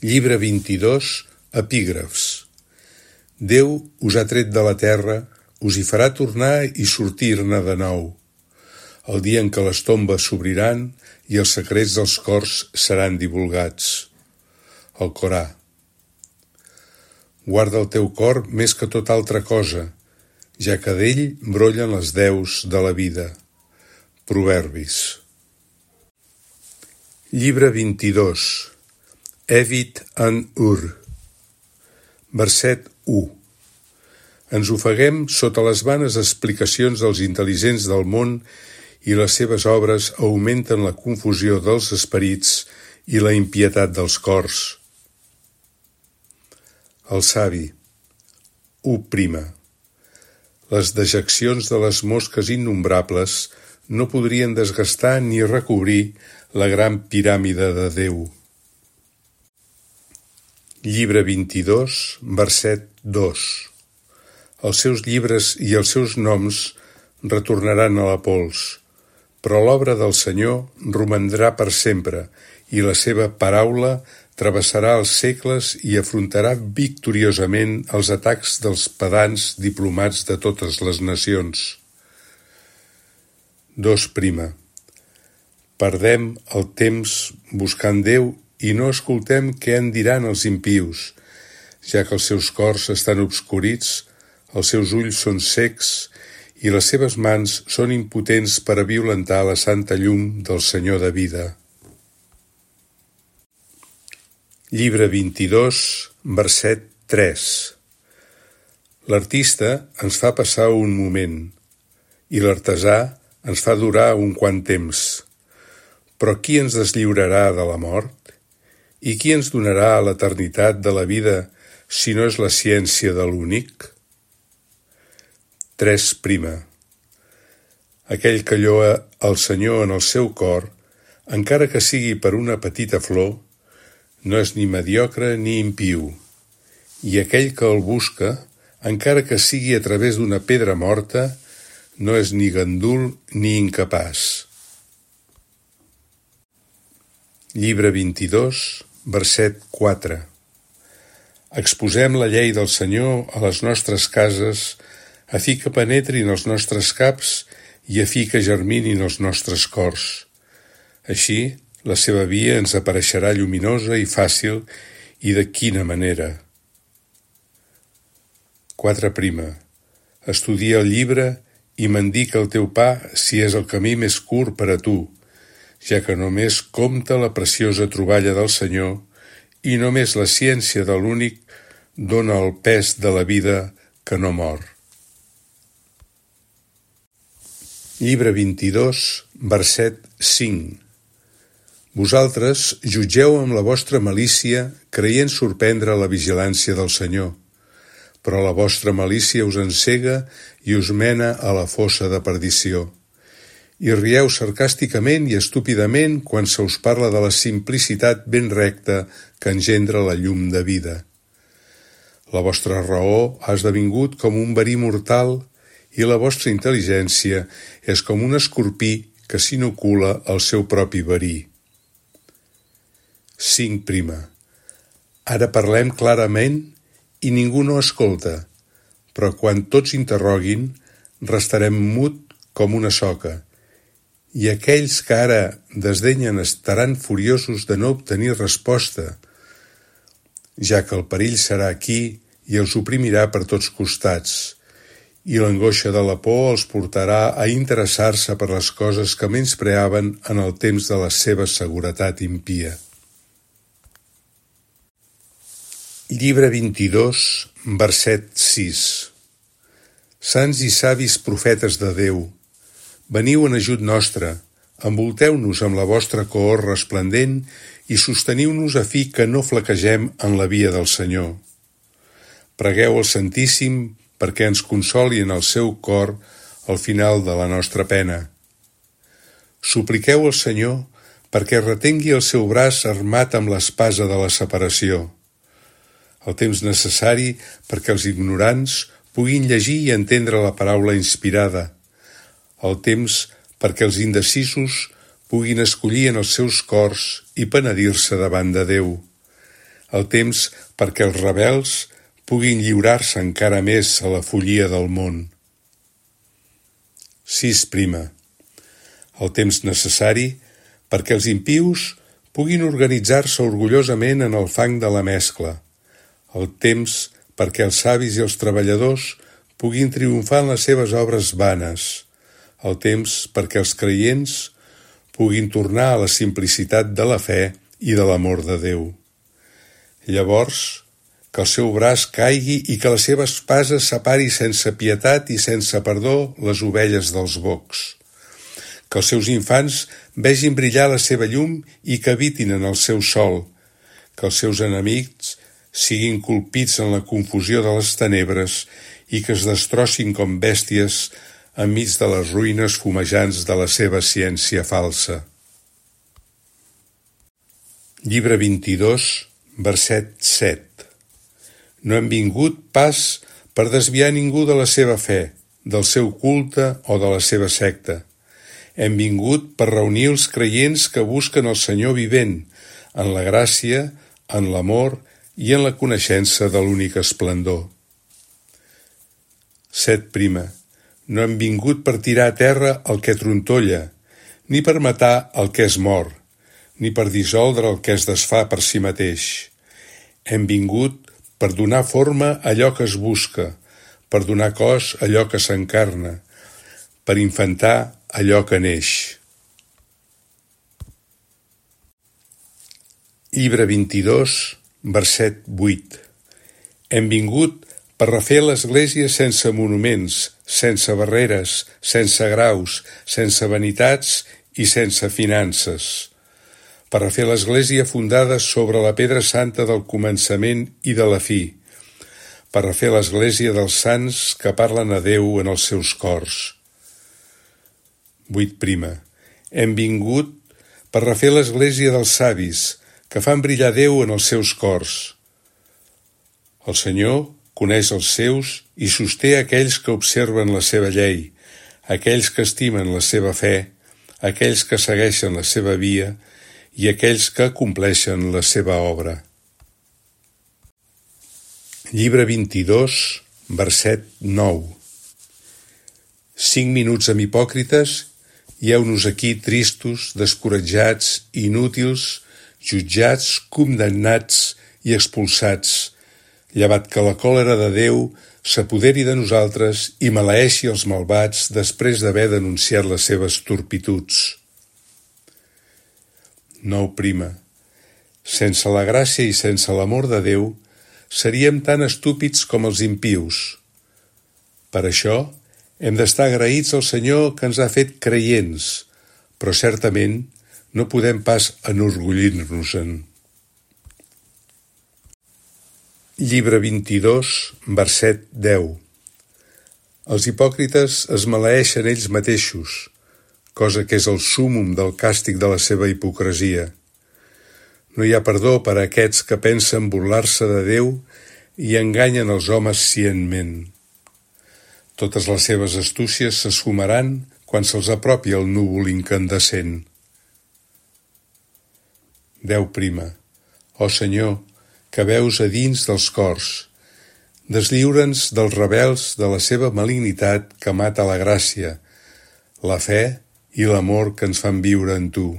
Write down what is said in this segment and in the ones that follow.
Llibre 22, epígrafs. Déu us ha tret de la terra, us hi farà tornar i sortir-ne de nou. El dia en què les tombes s'obriran i els secrets dels cors seran divulgats. El Corà. Guarda el teu cor més que tota altra cosa, ja que d'ell brollen les deus de la vida. Proverbis. Llibre 22. Evit an Ur. Verset 1. Ens ofeguem sota les vanes explicacions dels intel·ligents del món i les seves obres augmenten la confusió dels esperits i la impietat dels cors. El savi. 1. Les dejeccions de les mosques innombrables no podrien desgastar ni recobrir la gran piràmide de Déu. Llibre 22, verset 2. Els seus llibres i els seus noms retornaran a la pols, però l'obra del Senyor romandrà per sempre i la seva paraula travessarà els segles i afrontarà victoriosament els atacs dels pedants diplomats de totes les nacions. 2. Perdem el temps buscant Déu i no escoltem què en diran els impius, ja que els seus cors estan obscurits, els seus ulls són cecs i les seves mans són impotents per a violentar la santa llum del Senyor de vida. Llibre 22, verset 3. L'artista ens fa passar un moment i l'artesà ens fa durar un quant temps. Però qui ens deslliurarà de la mort? I qui ens donarà l'eternitat de la vida si no és la ciència de l'únic? 3. Aquell que lloa el Senyor en el seu cor, encara que sigui per una petita flor, no és ni mediocre ni impiu, i aquell que el busca, encara que sigui a través d'una pedra morta, no és ni gandul ni incapaç. Llibre 22, verset 4. Exposem la llei del Senyor a les nostres cases, a fi que penetrin els nostres caps i a fi que germinin els nostres cors. Així, la seva via ens apareixerà lluminosa i fàcil, i de quina manera. 4. Estudia el llibre i m'indica el teu pa si és el camí més curt per a tu, ja que només compta la preciosa troballa del Senyor i només la ciència de l'únic dóna el pes de la vida que no mor. Llibre 22, verset 5. Vosaltres jutgeu amb la vostra malícia, creient sorprendre la vigilància del Senyor, però la vostra malícia us encega i us mena a la fossa de perdició. I rieu sarcàsticament i estúpidament quan se us parla de la simplicitat ben recta que engendra la llum de vida. La vostra raó ha esdevingut com un verí mortal i la vostra intel·ligència és com un escorpí que s'inocula el seu propi verí. 5. Ara parlem clarament i ningú no escolta, però quan tots interroguin, restarem mut com una soca, i aquells que ara desdenyen estaran furiosos de no obtenir resposta, ja que el perill serà aquí i els oprimirà per tots costats, i l'angoixa de la por els portarà a interessar-se per les coses que menyspreaven en el temps de la seva seguretat impia. Llibre 22, verset 6. Sants i savis profetes de Déu, veniu en ajut nostre, envolteu-nos amb la vostra cohort resplendent i sosteniu-nos a fi que no flaquegem en la via del Senyor. Pregueu al Santíssim perquè ens consoli en el seu cor al final de la nostra pena. Supliqueu al Senyor perquè retengui el seu braç armat amb l'espasa de la separació. El temps necessari perquè els ignorants puguin llegir i entendre la paraula inspirada. El temps perquè els indecisos puguin escollir en els seus cors i penedir-se davant de Déu. el temps perquè els rebels puguin lliurar-se encara més a la follia del món. 6. El temps necessari perquè els impius puguin organitzar-se orgullosament en el fang de la mescla, el temps perquè els savis i els treballadors puguin triomfar en les seves obres vanes, el temps perquè els creients puguin tornar a la simplicitat de la fe i de l'amor de Déu. Llavors, que el seu braç caigui i que la seva espasa separi sense pietat i sense perdó les ovelles dels bocs. Que els seus infants vegin brillar la seva llum i que habitin en el seu sol. Que els seus enemics siguin colpits en la confusió de les tenebres i que es destrossin com bèsties enmig de les ruïnes fumejants de la seva ciència falsa. Llibre 22, verset 7. No hem vingut pas per desviar ningú de la seva fe, del seu culte o de la seva secta. Hem vingut per reunir els creients que busquen el Senyor vivent, en la gràcia, en l'amor i en la coneixença de l'únic esplendor. 7. No hem vingut per tirar a terra el que trontolla, ni per matar el que es mor, ni per dissoldre el que es desfà per si mateix. Hem vingut per donar forma a allò que es busca, per donar cos a allò que s'encarna, per infantar allò que neix. Llibre 22, verset 8. Hem vingut per refer l'Església sense monuments, sense barreres, sense graus, sense vanitats i sense finances. Per refer l'Església fundada sobre la pedra santa del començament i de la fi, per refer l'Església dels sants que parlen a Déu en els seus cors. 8. Hem vingut per refer l'Església dels savis que fan brillar Déu en els seus cors. El Senyor coneix els seus i sosté aquells que observen la seva llei, aquells que estimen la seva fe, aquells que segueixen la seva via i aquells que compleixen la seva obra. Llibre 22, verset 9. 5 minuts amb hipòcrites i heu-nos aquí tristos, descoratjats, inútils, jutjats, condemnats i expulsats, llevat que la còlera de Déu s'apoderi de nosaltres i maleeixi els malvats després d'haver denunciat les seves turpituds. 9. Sense la gràcia i sense l'amor de Déu, seríem tan estúpids com els impius. Per això, hem d'estar agraïts al Senyor que ens ha fet creients, però certament no podem pas enorgullir-nos-en. Llibre 22, verset 10. Els hipòcrites es maleeixen ells mateixos, cosa que és el súmmum del càstig de la seva hipocresia. No hi ha perdó per a aquests que pensen burlar-se de Déu i enganyen els homes cientment. Totes les seves astúcies s'esfumaran quan se'ls apropi el núvol incandescent. 10. Ó Senyor, que veus a dins dels cors, deslliura'ns dels rebels de la seva malignitat que mata la gràcia, la fe i l'amor que ens fan viure en Tu.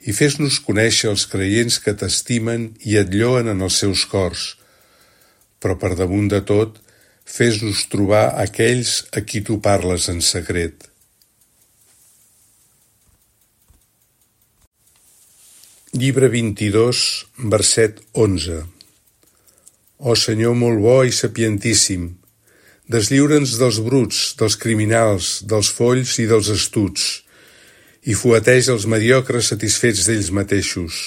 I fes-nos conèixer els creients que t'estimen i et lloen en els seus cors, però per damunt de tot, fes-nos trobar aquells a qui Tu parles en secret. Llibre 22, verset 11. Ó Senyor molt bo i sapientíssim, deslliura'ns dels bruts, dels criminals, dels folls i dels astuts, i fueteja els mediocres satisfets d'ells mateixos.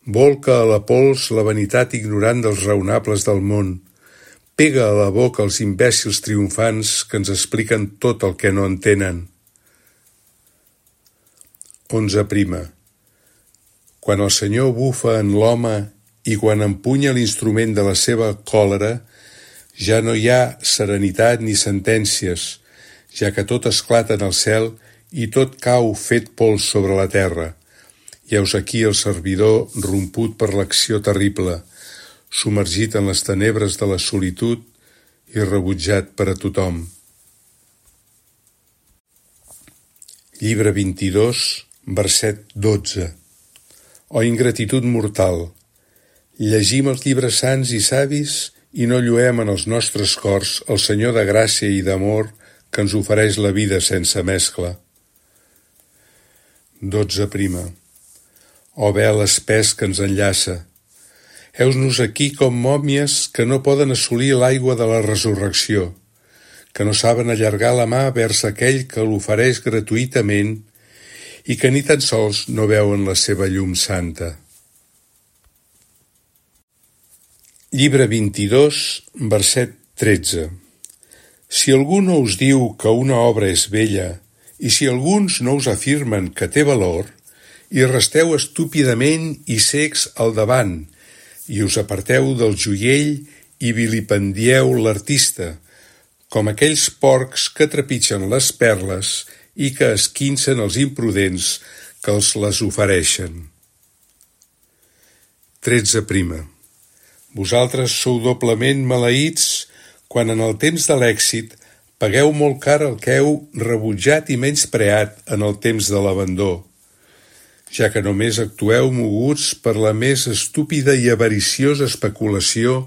Volca a la pols la vanitat ignorant dels raonables del món, pega a la boca els imbècils triomfants que ens expliquen tot el que no entenen. 11. Quan el Senyor bufa en l'home i quan empunya l'instrument de la seva còlera, ja no hi ha serenitat ni sentències, ja que tot esclata en el cel i tot cau fet pols sobre la terra, I heus aquí el servidor romput per l'acció terrible, submergit en les tenebres de la solitud i rebutjat per a tothom. Llibre 22, verset 12. O ingratitud mortal! Llegim els llibres sants i savis i no lluem en els nostres cors el Senyor de gràcia i d'amor que ens ofereix la vida sense mescla. 12. O vel espès que ens enllaça! Heus-nos aquí com mòmies que no poden assolir l'aigua de la resurrecció, que no saben allargar la mà vers aquell que l'ofereix gratuïtament i que ni tan sols no veuen la seva llum santa. Llibre 22, verset 13. Si algú no us diu que una obra és bella, i si alguns no us afirmen que té valor, i resteu estúpidament i cecs al davant, i us aparteu del joiell i vilipendieu l'artista, com aquells porcs que trepitgen les perles i que esquincen els imprudents que els les ofereixen. 13. Vosaltres sou doblement maleïts quan en el temps de l'èxit pagueu molt car el que heu rebutjat i menyspreat en el temps de l'abandó, ja que només actueu moguts per la més estúpida i avariciosa especulació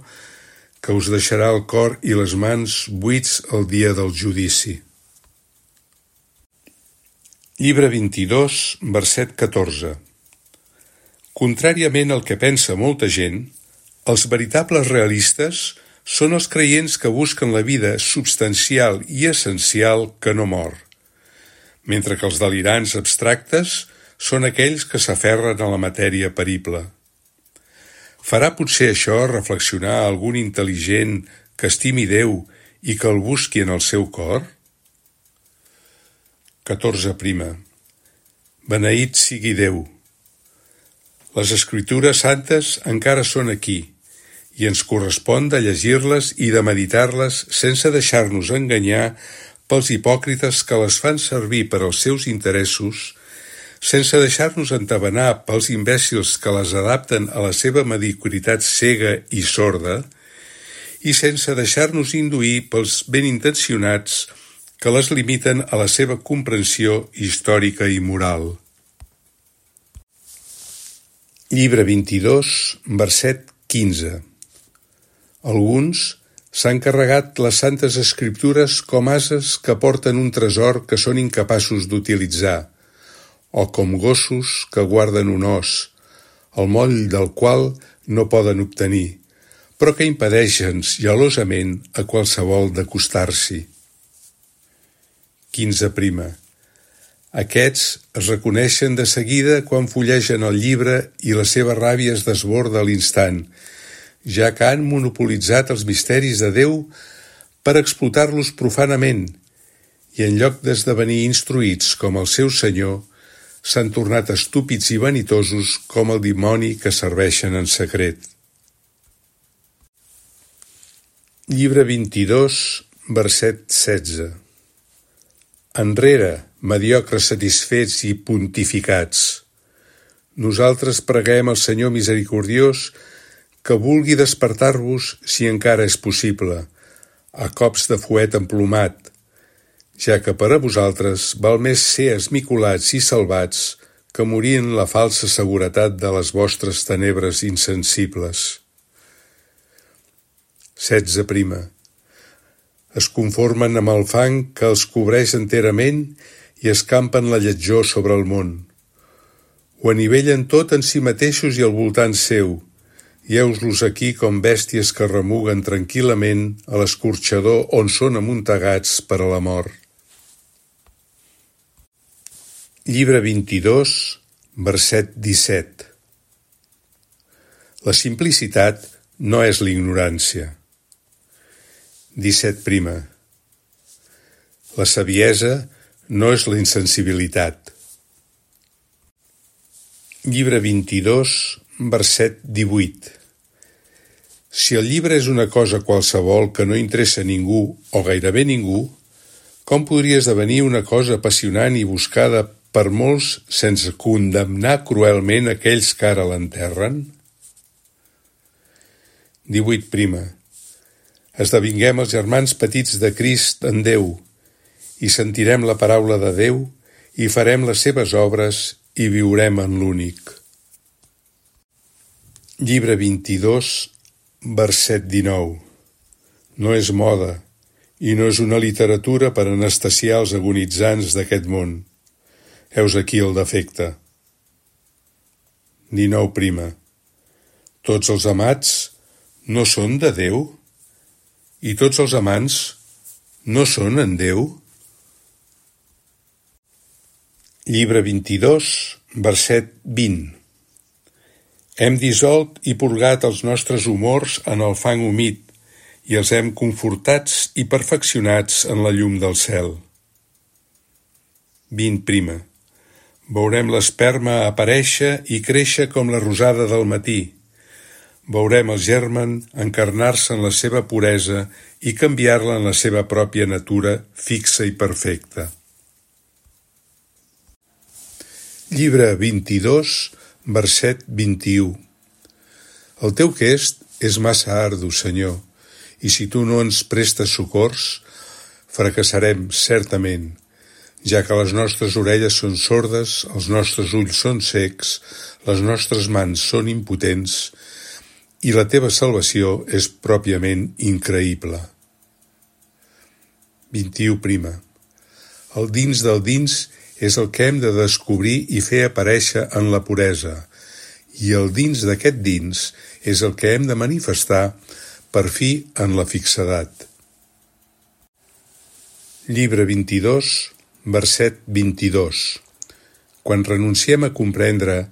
que us deixarà el cor i les mans buits el dia del judici. Llibre 22, verset 14. Contràriament al que pensa molta gent, els veritables realistes són els creients que busquen la vida substancial i essencial que no mor, mentre que els delirants abstractes són aquells que s'aferren a la matèria perible. Farà potser això reflexionar a algun intel·ligent que estimi Déu i que el busqui en el seu cor? 14. Beneït sigui Déu! Les Escritures santes encara són aquí, i ens correspon de llegir-les i de meditar-les sense deixar-nos enganyar pels hipòcrites que les fan servir per als seus interessos, sense deixar-nos entabanar pels imbècils que les adapten a la seva mediocritat cega i sorda, i sense deixar-nos induir pels ben intencionats que les limiten a la seva comprensió històrica i moral. Llibre 22, verset 15. Alguns s'han carregat les santes escriptures com ases que porten un tresor que són incapaços d'utilitzar, o com gossos que guarden un os, el moll del qual no poden obtenir, però que impedeixen gelosament a qualsevol d'acostar-s'hi. 15. Aquests es reconeixen de seguida quan fullegen el llibre i la seva ràbia es desborda a l'instant, ja que han monopolitzat els misteris de Déu per explotar-los profanament, i en lloc d'esdevenir instruïts com el seu Senyor, s'han tornat estúpids i vanitosos com el dimoni que serveixen en secret. Llibre 22, verset 16. Enrere, mediocres satisfets i pontificats. Nosaltres preguem al Senyor misericordiós que vulgui despertar-vos si encara és possible, a cops de fuet emplomat, ja que per a vosaltres val més ser esmicolats i salvats que morir en la falsa seguretat de les vostres tenebres insensibles. 16. Es conformen amb el fang que els cobreix enterament i escampen la lletjor sobre el món. Ho anivellen tot en si mateixos i al voltant seu, i heus-los aquí com bèsties que remuguen tranquil·lament a l'escorxador on són amuntegats per a la mort. Llibre 22, verset 17. La simplicitat no és l'ignorància. 17. La saviesa no és la insensibilitat. Llibre 22, verset 18. Si el llibre és una cosa qualsevol que no interessa a ningú o gairebé ningú, com podria esdevenir una cosa apassionant i buscada per molts sense condemnar cruelment aquells que ara l'enterren? 18. Esdevinguem els germans petits de Crist en Déu, i sentirem la paraula de Déu, i farem les seves obres, i viurem en l'únic. Llibre 22, verset 19. No és moda, i no és una literatura per anestesiar els agonitzants d'aquest món. Heus aquí el defecte. 19. Tots els amats no són de Déu? I tots els amants no són en Déu? Llibre 22, verset 20. Hem dissolt i purgat els nostres humors en el fang humit i els hem confortats i perfeccionats en la llum del cel. 20. Veurem l'esperma aparèixer i créixer com la rosada del matí. Veurem el germen encarnar-se en la seva puresa i canviar-la en la seva pròpia natura fixa i perfecta. Llibre 22, verset 21. El teu quest és massa ardu, Senyor, i si tu no ens prestes socors, fracassarem certament, ja que les nostres orelles són sordes, els nostres ulls són cecs, les nostres mans són impotents, i la teva salvació és pròpiament increïble. 21. El dins del dins és el que hem de descobrir i fer aparèixer en la puresa, i el dins d'aquest dins és el que hem de manifestar per fi en la fixedat. Llibre 22, verset 22. Quan renunciem a comprendre,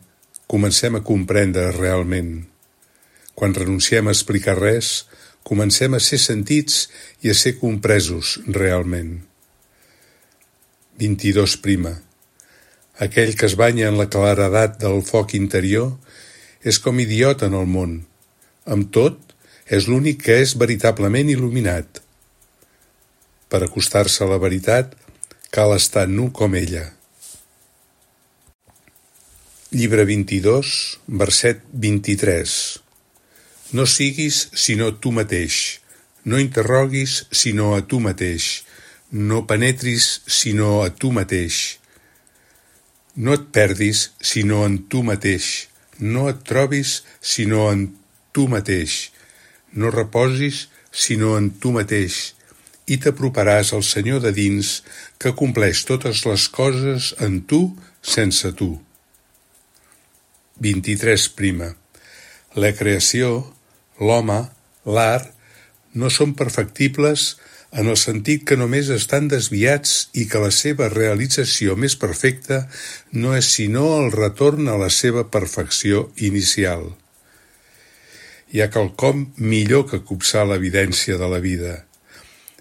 comencem a comprendre realment. Quan renunciem a explicar res, comencem a ser sentits i a ser compresos realment. 22. Aquell que es banya en la claredat del foc interior és com idiota en el món. Amb tot, és l'únic que és veritablement il·luminat. Per acostar-se a la veritat, cal estar nu com ella. Llibre 22, verset 23. No siguis sinó tu mateix, no interroguis sinó a tu mateix, no penetris sinó a tu mateix. No et perdis sinó en tu mateix, no et trobis sinó en tu mateix, no reposis sinó en tu mateix, i t'aproparàs al Senyor de dins, que compleix totes les coses en tu sense tu. 23. La creació, l'home, l'art, no són perfectibles en el sentit que només estan desviats i que la seva realització més perfecta no és sinó el retorn a la seva perfecció inicial. Hi ha quelcom millor que copsar l'evidència de la vida.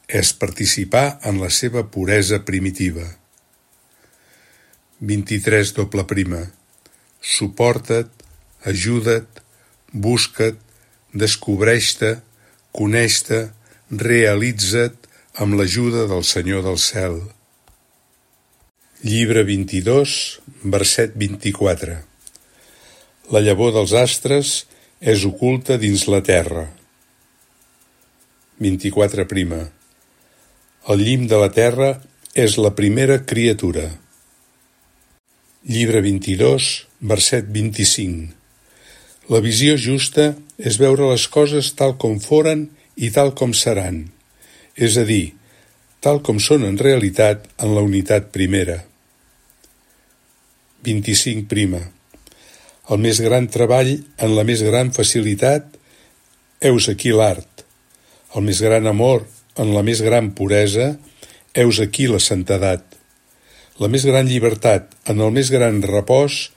És participar en la seva puresa primitiva. 23. Suporta't, ajuda't, busca't, descobreix-te, coneix-te, realitza't amb l'ajuda del Senyor del cel. Llibre 22, verset 24. La llavor dels astres és oculta dins la terra. 24. El llim de la terra és la primera criatura. Llibre 22, verset 25. La visió justa és veure les coses tal com foren i tal com seran, és a dir, tal com són en realitat en la unitat primera. 25. El més gran treball en la més gran facilitat, heus aquí l'art. El més gran amor en la més gran puresa, heus aquí la santedat. La més gran llibertat en el més gran repòs,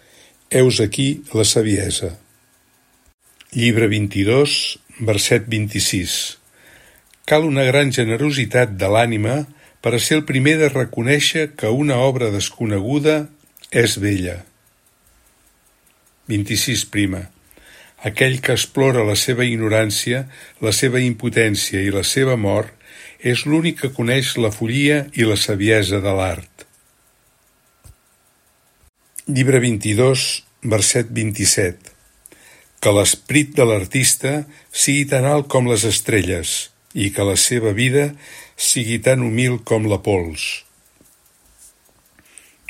heus aquí la saviesa. Llibre 22, verset 26. Cal una gran generositat de l'ànima per a ser el primer de reconèixer que una obra desconeguda és bella. 26. Aquell que explora la seva ignorància, la seva impotència i la seva mort és l'únic que coneix la follia i la saviesa de l'art. Llibre 22, verset 27. Que l'esperit de l'artista sigui tan alt com les estrelles i que la seva vida sigui tan humil com la pols.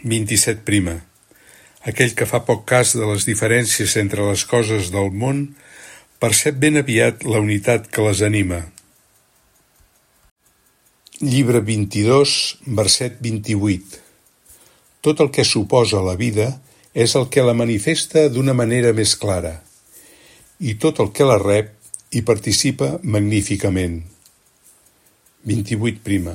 27. Aquell que fa poc cas de les diferències entre les coses del món percep ben aviat la unitat que les anima. Llibre 22, verset 28. Tot el que suposa la vida és el que la manifesta d'una manera més clara, i tot el que la rep hi participa magníficament. 28.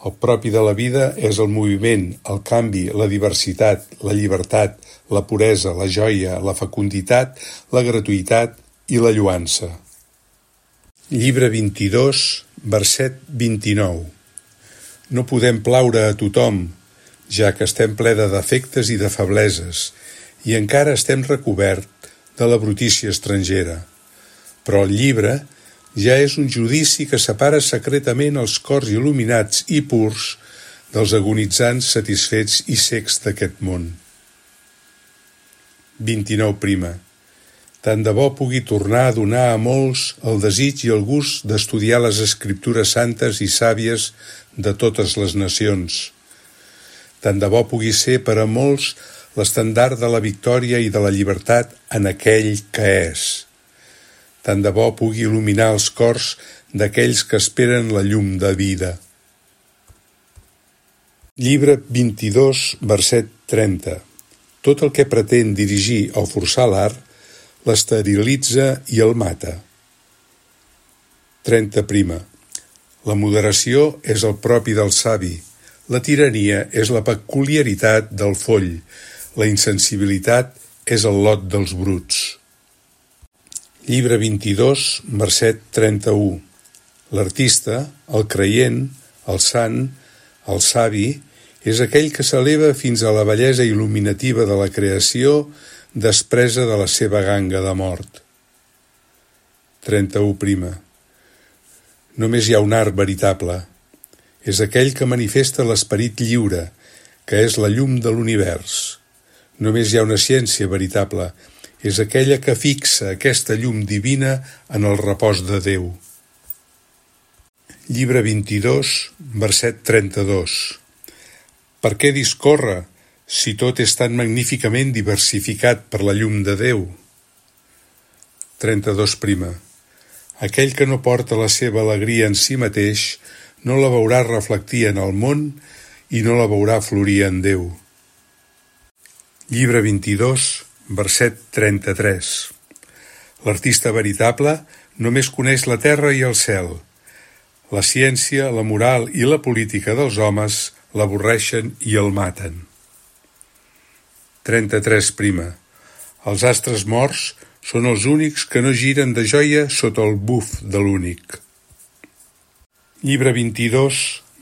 El propi de la vida és el moviment, el canvi, la diversitat, la llibertat, la puresa, la joia, la fecunditat, la gratuïtat i la lloança. Llibre 22, verset 29. No podem plaure a tothom, ja que estem ple de defectes i de febleses, i encara estem recobert de la brutícia estrangera. Però el llibre ja és un judici que separa secretament els cors il·luminats i purs dels agonitzants satisfets i cecs d'aquest món. 29. Tant de bo pugui tornar a donar a molts el desig i el gust d'estudiar les escriptures santes i sàvies de totes les nacions. Tant de bo pugui ser per a molts l'estendard de la victòria i de la llibertat en aquell que és. Tant de bo pugui il·luminar els cors d'aquells que esperen la llum de vida. Llibre 22, verset 30. Tot el que pretén dirigir o forçar l'art l'esterilitza i el mata. 30. La moderació és el propi del savi, la tirania és la peculiaritat del foll, la insensibilitat és el lot dels bruts. Llibre 22, verset 31. L'artista, el creient, el sant, el savi, és aquell que s'eleva fins a la bellesa il·luminativa de la creació despresa de la seva ganga de mort. 31. Només hi ha un art veritable. És aquell que manifesta l'esperit lliure, que és la llum de l'univers. Només hi ha una ciència veritable. És aquella que fixa aquesta llum divina en el repòs de Déu. Llibre 22, verset 32. Per què discórrer, si tot és tan magníficament diversificat per la llum de Déu? 32. Aquell que no porta la seva alegria en si mateix no la veurà reflectir en el món i no la veurà florir en Déu. Llibre 22, verset 33. L'artista veritable només coneix la terra i el cel. La ciència, la moral i la política dels homes l'avorreixen i el maten. 33. Els astres morts són els únics que no giren de joia sota el buf de l'únic. Llibre 22,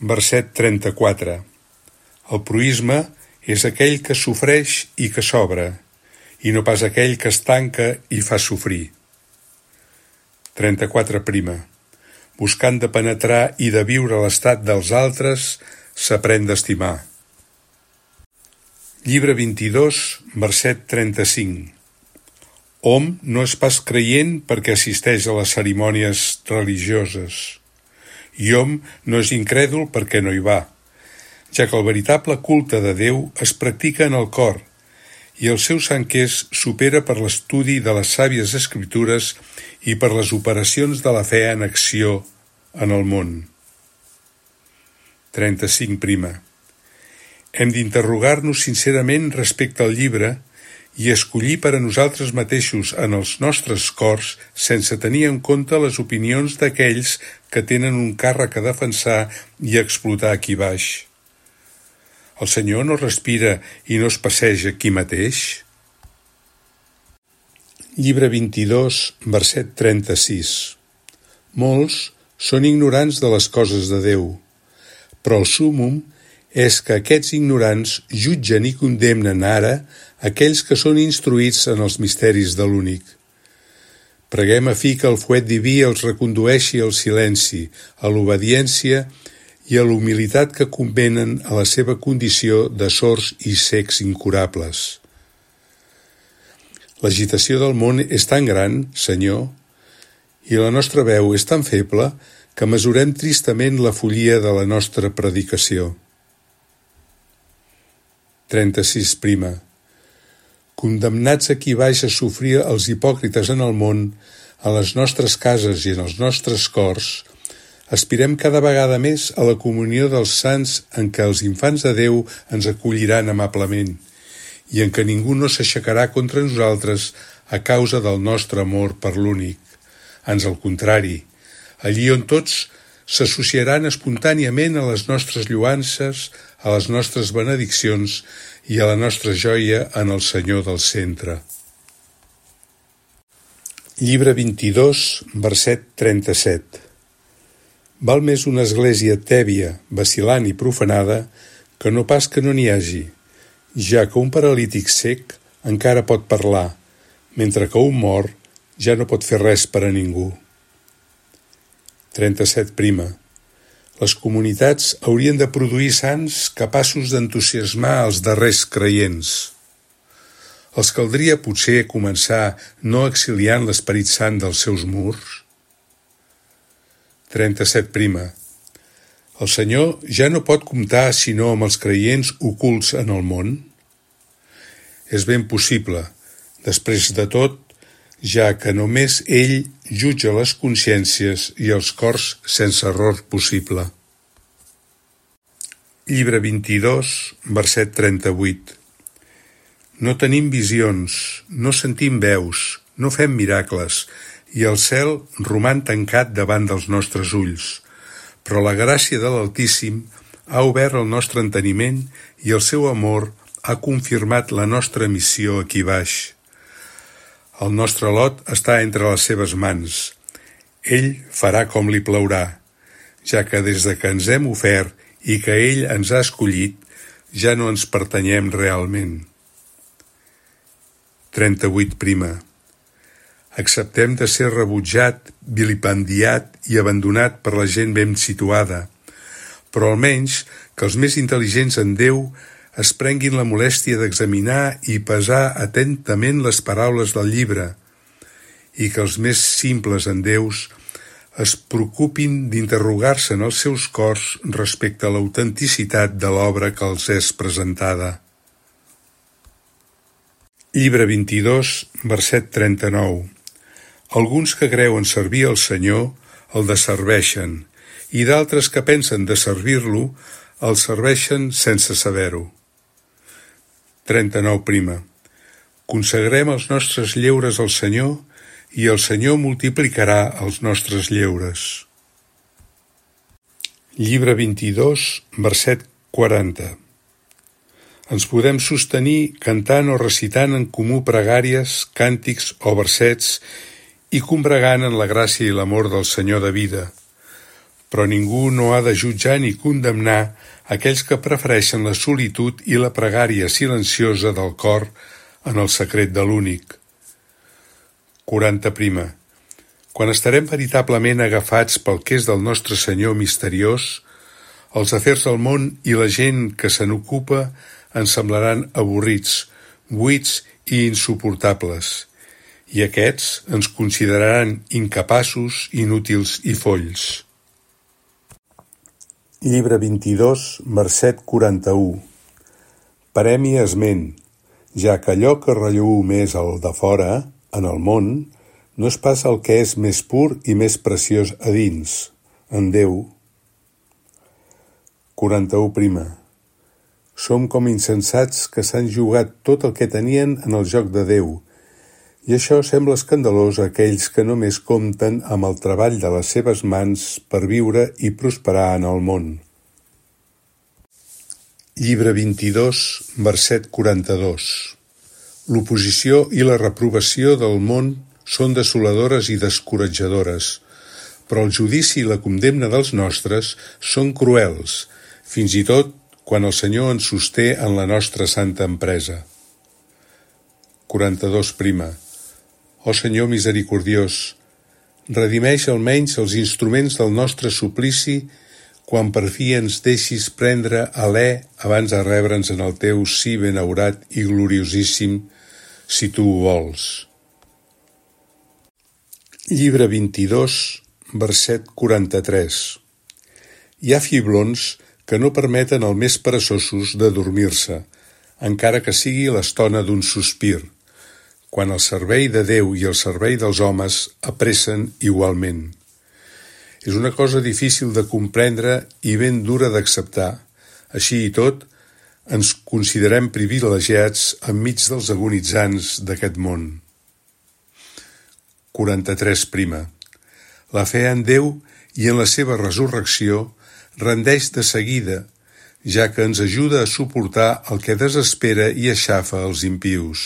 verset 34. El proïsme és aquell que sofreix i que s'obre, i no pas aquell que es tanca i fa sofrir. 34. Buscant de penetrar i de viure l'estat dels altres, s'aprèn d'estimar. Llibre 22, verset 35. Hom no és pas creient perquè assisteix a les cerimònies religioses, i hom no és incrèdul perquè no hi va, ja que el veritable culte de Déu es practica en el cor, i el seu sanqués supera per l'estudi de les sàvies escriptures i per les operacions de la fe en acció en el món. 35. Hem d'interrogar-nos sincerament respecte al llibre i escollir per a nosaltres mateixos en els nostres cors sense tenir en compte les opinions d'aquells que tenen un càrrec a defensar i a explotar aquí baix. El Senyor no respira i no es passeja aquí mateix? Llibre 22, verset 36. Molts són ignorants de les coses de Déu, però el súmmum és que aquests ignorants jutgen i condemnen ara aquells que són instruïts en els misteris de l'únic. Preguem a fi que el fuet diví els recondueixi al silenci, a l'obediència i a la humilitat que convenen a la seva condició de sords i cecs incurables. L'agitació del món és tan gran, Senyor, i la nostra veu és tan feble que mesurem tristament la follia de la nostra predicació. 36. Condemnats aquí baix a sofrir els hipòcrites en el món, a les nostres cases i en els nostres cors, aspirem cada vegada més a la comunió dels sants en què els infants de Déu ens acolliran amablement i en què ningú no s'aixecarà contra nosaltres a causa del nostre amor per l'únic. Ans al contrari, allí on tots s'associaran espontàniament a les nostres lloances, a les nostres benediccions i a la nostra joia en el Senyor del centre. Llibre 22, verset 37. Val més una església tèbia, vacil·lant i profanada que no pas que no n'hi hagi, ja que un paralític cec encara pot parlar, mentre que un mort ja no pot fer res per a ningú. 37. Les comunitats haurien de produir sants capaços d'entusiasmar els darrers creients. Els caldria potser començar no exiliant l'Esperit Sant dels seus murs? 37. El Senyor ja no pot comptar sinó amb els creients ocults en el món? És ben possible, després de tot, ja que només ell jutja les consciències i els cors sense error possible. Llibre 22, verset 38. No tenim visions, no sentim veus, no fem miracles, i el cel roman tancat davant dels nostres ulls. Però la gràcia de l'Altíssim ha obert el nostre enteniment i el seu amor ha confirmat la nostra missió aquí baix. El nostre lot està entre les seves mans. Ell farà com li plaurà, ja que des de que ens hem ofert i que ell ens ha escollit, ja no ens pertanyem realment. 38. Acceptem de ser rebutjat, vilipendiat i abandonat per la gent ben situada, però almenys que els més intel·ligents en Déu es prenguin la molèstia d'examinar i pesar atentament les paraules del llibre i que els més simples en Déus es preocupin d'interrogar-se en els seus cors respecte a l'autenticitat de l'obra que els és presentada. Llibre 22, verset 39. Alguns que creuen servir el Senyor el desserveixen i d'altres que pensen de servir-lo el serveixen sense saber-ho. 39. Consagrem els nostres lleures al Senyor i el Senyor multiplicarà els nostres lleures. Llibre 22, verset 40. Ens podem sostenir cantant o recitant en comú pregàries, càntics o versets i combregant en la gràcia i l'amor del Senyor de vida. Però ningú no ha de jutjar ni condemnar aquells que prefereixen la solitud i la pregària silenciosa del cor en el secret de l'únic. 40. Quan estarem veritablement agafats pel que és del nostre Senyor misteriós, els afers del món i la gent que se n'ocupa ens semblaran avorrits, buits i insuportables, i aquests ens consideraran incapaços, inútils i folls. Llibre 22, verset 41. Parem-hi esment, ja que allò que relleu més al de fora, en el món, no és pas el que és més pur i més preciós a dins, en Déu. 41. Som com insensats que s'han jugat tot el que tenien en el joc de Déu, i això sembla escandalós a aquells que només compten amb el treball de les seves mans per viure i prosperar en el món. Llibre 22, verset 42. L'oposició i la reprovació del món són desoladores i descoratjadores, però el judici i la condemna dels nostres són cruels, fins i tot quan el Senyor ens sosté en la nostra santa empresa. 42. Ó Senyor misericordiós, redimeix almenys els instruments del nostre suplici quan per fi ens deixis prendre alè abans de rebre'ns en el teu sí benaurat i gloriosíssim si tu ho vols. Llibre 22, verset 43. Hi ha fiblons que no permeten als més peresosos de dormir-se, encara que sigui l'estona d'un sospir, quan el servei de Déu i el servei dels homes apressen igualment. És una cosa difícil de comprendre i ben dura d'acceptar. Així i tot, ens considerem privilegiats enmig dels agonitzants d'aquest món. 43. La fe en Déu i en la seva resurrecció rendeix de seguida, ja que ens ajuda a suportar el que desespera i aixafa els impius.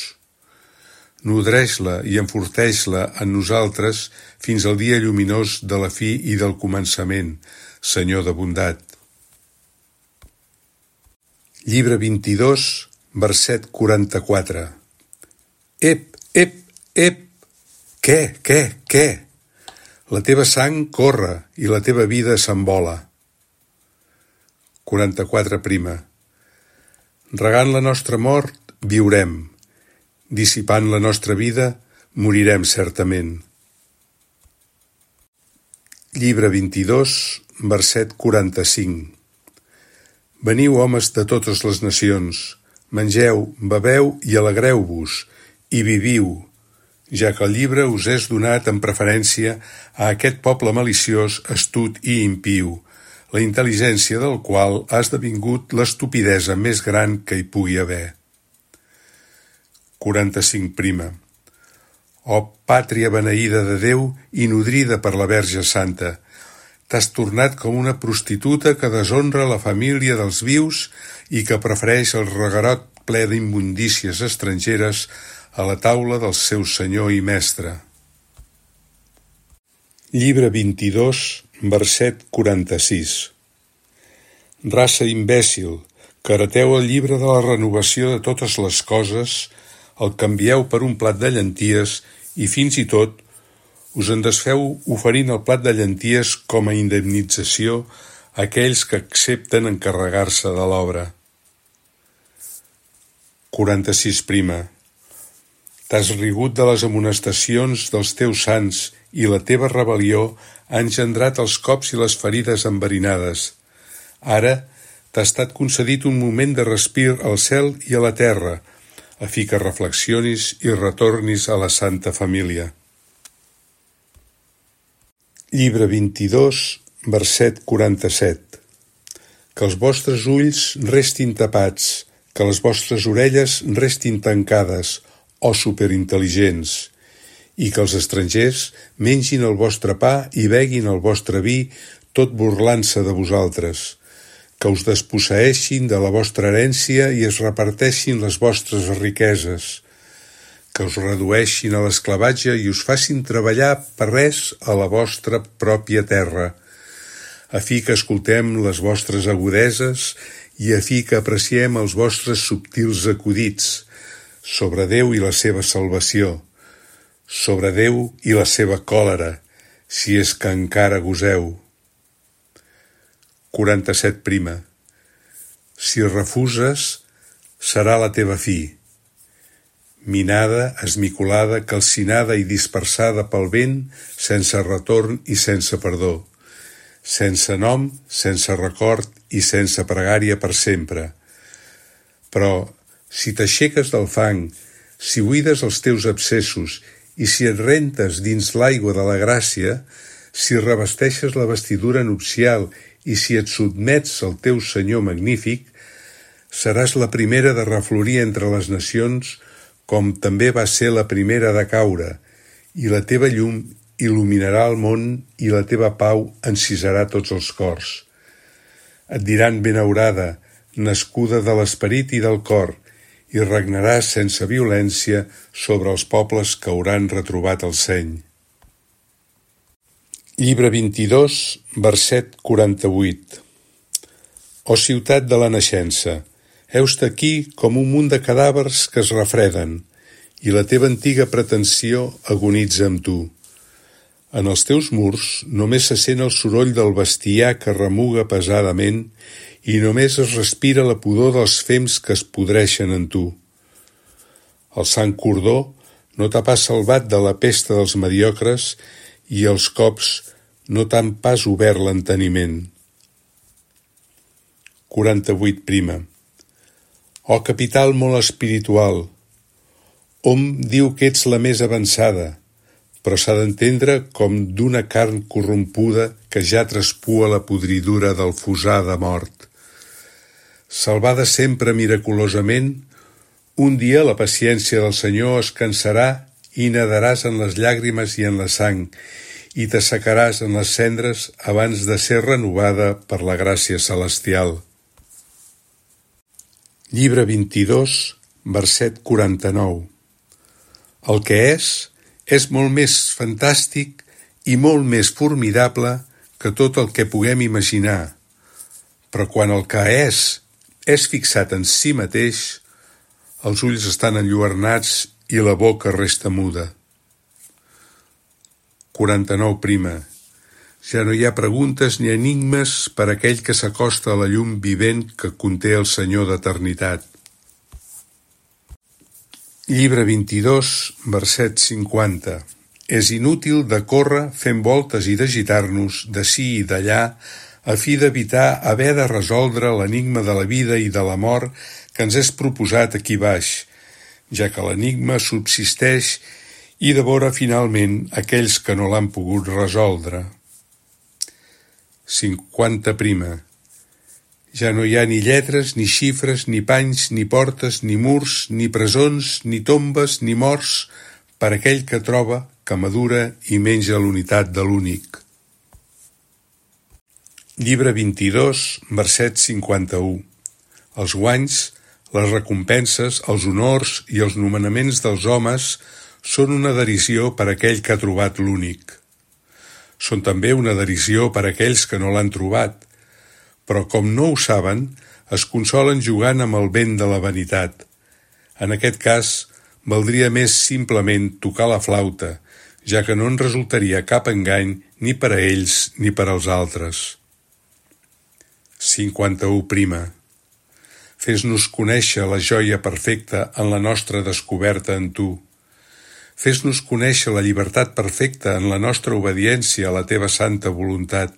Nodreix-la i enforteix-la en nosaltres fins al dia lluminós de la fi i del començament, Senyor de bondat. Llibre 22, verset 44. Ep, ep, ep! Què? La teva sang corre i la teva vida s'envola. 44. Regant la nostra mort, viurem. Dissipant la nostra vida, morirem certament. Llibre 22, verset 45. Veniu, homes de totes les nacions, mengeu, beveu i alegreu-vos, i viviu, ja que el llibre us és donat en preferència a aquest poble maliciós, astut i impiu, la intel·ligència del qual ha esdevingut l'estupidesa més gran que hi pugui haver. 45. Oh, pàtria beneïda de Déu i nodrida per la Verge Santa, t'has tornat com una prostituta que deshonra la família dels vius i que prefereix el reguerot ple d'immundícies estrangeres a la taula del seu senyor i mestre. Llibre 22, verset 46. Raça imbècil, que hereteu el llibre de la renovació de totes les coses, el canvieu per un plat de llenties i fins i tot us en desfeu oferint el plat de llenties com a indemnització a aquells que accepten encarregar-se de l'obra. 46. T'has rigut de les amonestacions dels teus sants i la teva rebel·lió ha engendrat els cops i les ferides enverinades. Ara t'ha estat concedit un moment de respir al cel i a la terra, a fi que reflexionis i retornis a la Santa Família. Llibre 22, verset 47. Que els vostres ulls restin tapats, que les vostres orelles restin tancades, o superintel·ligents, i que els estrangers mengin el vostre pa i beguin el vostre vi, tot burlant-se de vosaltres, que us desposseeixin de la vostra herència i es reparteixin les vostres riqueses, que us redueixin a l'esclavatge i us facin treballar per res a la vostra pròpia terra, a fi que escoltem les vostres agudeses i a fi que apreciem els vostres subtils acudits, sobre Déu i la seva salvació, sobre Déu i la seva còlera, si és que encara goseu. 47. Si refuses, serà la teva fi. Minada, esmicolada, calcinada i dispersada pel vent, sense retorn i sense perdó, sense nom, sense record i sense pregària per sempre. Però, si t'aixeques del fang, si buides els teus abscessos i si et rentes dins l'aigua de la gràcia, si revesteixes la vestidura nupcial i si et sotmets al teu Senyor magnífic, seràs la primera de reflorir entre les nacions, com també va ser la primera de caure, i la teva llum il·luminarà el món i la teva pau encisarà tots els cors. Et diran benaurada, nascuda de l'esperit i del cor, i regnaràs sense violència sobre els pobles que hauran retrobat el seny. Llibre 22, verset 48. O ciutat de la naixença, heus-te aquí com un munt de cadàvers que es refreden, i la teva antiga pretensió agonitza amb tu. En els teus murs només se sent el soroll del bestiar que remuga pesadament i només es respira la pudor dels fems que es podreixen en tu. El sant cordó no t'ha pas salvat de la pesta dels mediocres i els cops no t'han pas obert l'enteniment. 48. Oh capital molt espiritual, hom diu que ets la més avançada, però s'ha d'entendre com d'una carn corrompuda que ja traspua la podridura del fusar de mort. Salvada sempre miraculosament, un dia la paciència del Senyor es cansarà i nadaràs en les llàgrimes i en la sang, i t'assecaràs en les cendres abans de ser renovada per la gràcia celestial. Llibre 22, verset 49. El que és molt més fantàstic i molt més formidable que tot el que puguem imaginar, però quan el que és fixat en si mateix, els ulls estan enlluernats i la boca resta muda. 49. Ja no hi ha preguntes ni enigmes per a aquell que s'acosta a la llum vivent que conté el Senyor d'eternitat. Llibre 22, verset 50. És inútil de córrer fent voltes i d'agitar-nos d'ací i d'allà a fi d'evitar haver de resoldre l'enigma de la vida i de la mort que ens és proposat aquí baix, ja que l'enigma subsisteix i devora finalment aquells que no l'han pogut resoldre. 50. Ja no hi ha ni lletres, ni xifres, ni panys, ni portes, ni murs, ni presons, ni tombes, ni morts, per aquell que troba, que madura i menja l'unitat de l'únic. Llibre 22, verset 51. Els guanys, les recompenses, els honors i els nomenaments dels homes són una derisió per a aquell que ha trobat l'únic. Són també una derisió per a aquells que no l'han trobat, però com no ho saben, es consolen jugant amb el vent de la vanitat. En aquest cas, valdria més simplement tocar la flauta, ja que no en resultaria cap engany ni per a ells ni per als altres. 51. Fes-nos conèixer la joia perfecta en la nostra descoberta en tu. Fes-nos conèixer la llibertat perfecta en la nostra obediència a la teva santa voluntat.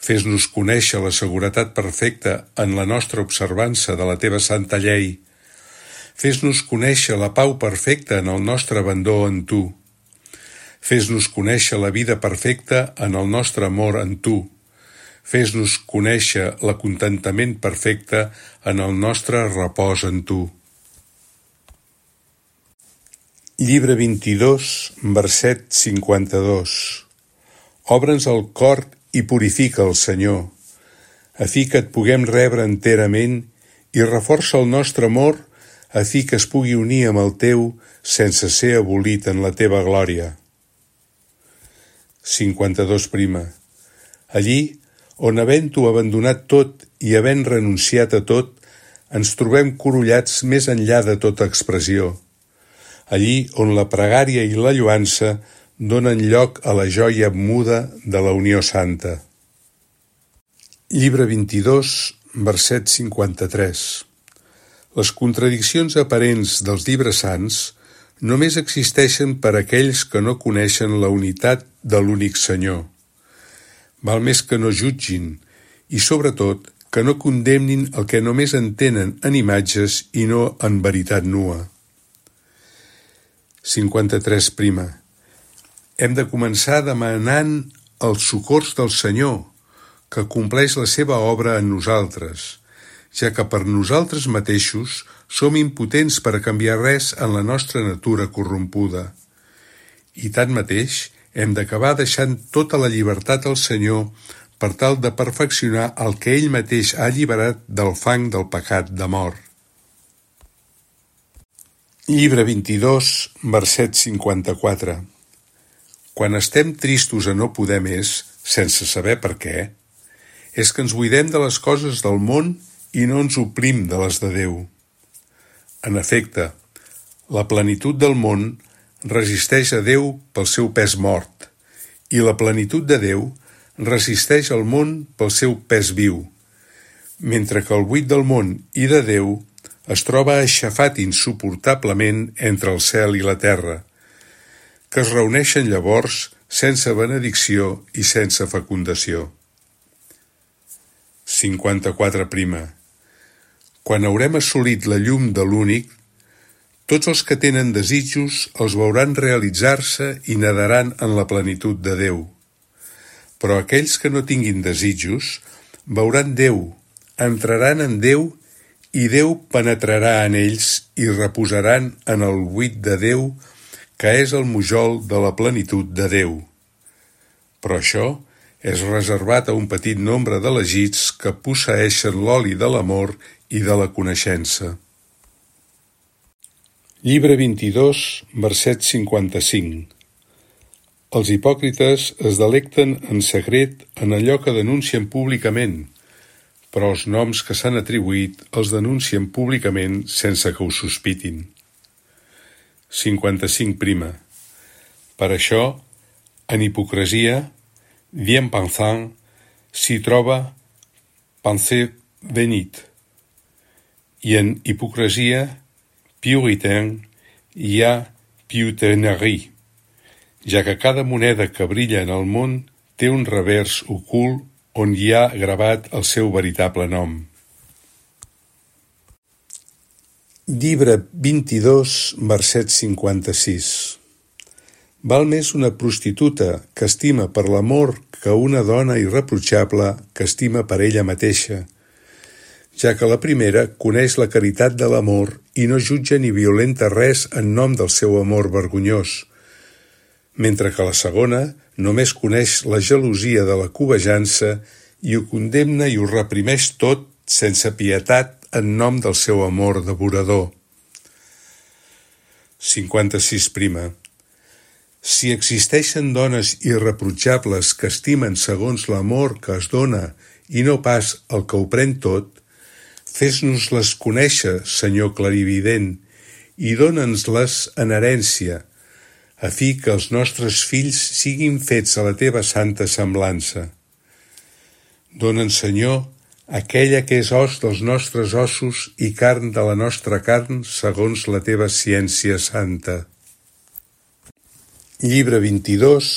Fes-nos conèixer la seguretat perfecta en la nostra observança de la teva santa llei. Fes-nos conèixer la pau perfecta en el nostre abandó en tu. Fes-nos conèixer la vida perfecta en el nostre amor en tu. Fes-nos conèixer l'acontentament perfecte en el nostre repòs en tu. Llibre 22, verset 52. Obre'ns el cor i purifica el Senyor, a fi que et puguem rebre enterament i reforça el nostre amor a fi que es pugui unir amb el teu sense ser abolit en la teva glòria. 52. Allí, on havent-ho abandonat tot i havent renunciat a tot, ens trobem corollats més enllà de tota expressió. Allí on la pregària i la lloança donen lloc a la joia muda de la unió santa. Llibre 22, verset 53. Les contradiccions aparents dels llibres sants només existeixen per a aquells que no coneixen la unitat de l'únic Senyor. Val més que no jutgin i, sobretot, que no condemnin el que només entenen en imatges i no en veritat nua. 53. Hem de començar demanant els socors del Senyor, que compleix la seva obra en nosaltres, ja que per nosaltres mateixos som impotents per a canviar res en la nostra natura corrompuda. I tanmateix hem d'acabar deixant tota la llibertat al Senyor per tal de perfeccionar el que ell mateix ha alliberat del fang del pecat de mort. Llibre 22, verset 54. Quan estem tristos a no poder més, sense saber per què, és que ens buidem de les coses del món i no ens oprim de les de Déu. En efecte, la plenitud del món resisteix a Déu pel seu pes mort, i la plenitud de Déu resisteix al món pel seu pes viu, mentre que el buit del món i de Déu es troba aixafat insuportablement entre el cel i la terra, que es reuneixen llavors sense benedicció i sense fecundació. 54. Quan haurem assolit la llum de l'únic, tots els que tenen desitjos els veuran realitzar-se i nadaran en la plenitud de Déu. Però aquells que no tinguin desitjos veuran Déu, entraran en Déu i Déu penetrarà en ells i reposaran en el buit de Déu, que és el mujol de la plenitud de Déu. Però això és reservat a un petit nombre d'elegits que posseeixen l'oli de l'amor i de la coneixença. Llibre 22, verset 55. Els hipòcrites es delecten en secret en allò que denuncien públicament, però els noms que s'han atribuït els denuncien públicament sense que ho sospitin. 55. Per això, en hipocresia, bien pensant, s'hi troba pensée bénite, i en hipocresia, puritain, hi ha piutainerie, ja que cada moneda que brilla en el món té un revers ocult on hi ha gravat el seu veritable nom. Llibre 22, verset 56. Val més una prostituta que estima per l'amor que una dona irreprotxable que estima per ella mateixa, ja que la primera coneix la caritat de l'amor i no jutja ni violenta res en nom del seu amor vergonyós, mentre que la segona només coneix la gelosia de la cobejança i ho condemna i ho reprimeix tot sense pietat en nom del seu amor devorador. 56. Si existeixen dones irreprotxables que estimen segons l'amor que es dona i no pas el que ho pren tot, fes-nos-les conèixer, Senyor clarivident, i dóna'ns-les en herència, a fi que els nostres fills siguin fets a la teva santa semblança. Dóna'ns, Senyor, aquella que és os dels nostres ossos i carn de la nostra carn segons la teva ciència santa. Llibre 22,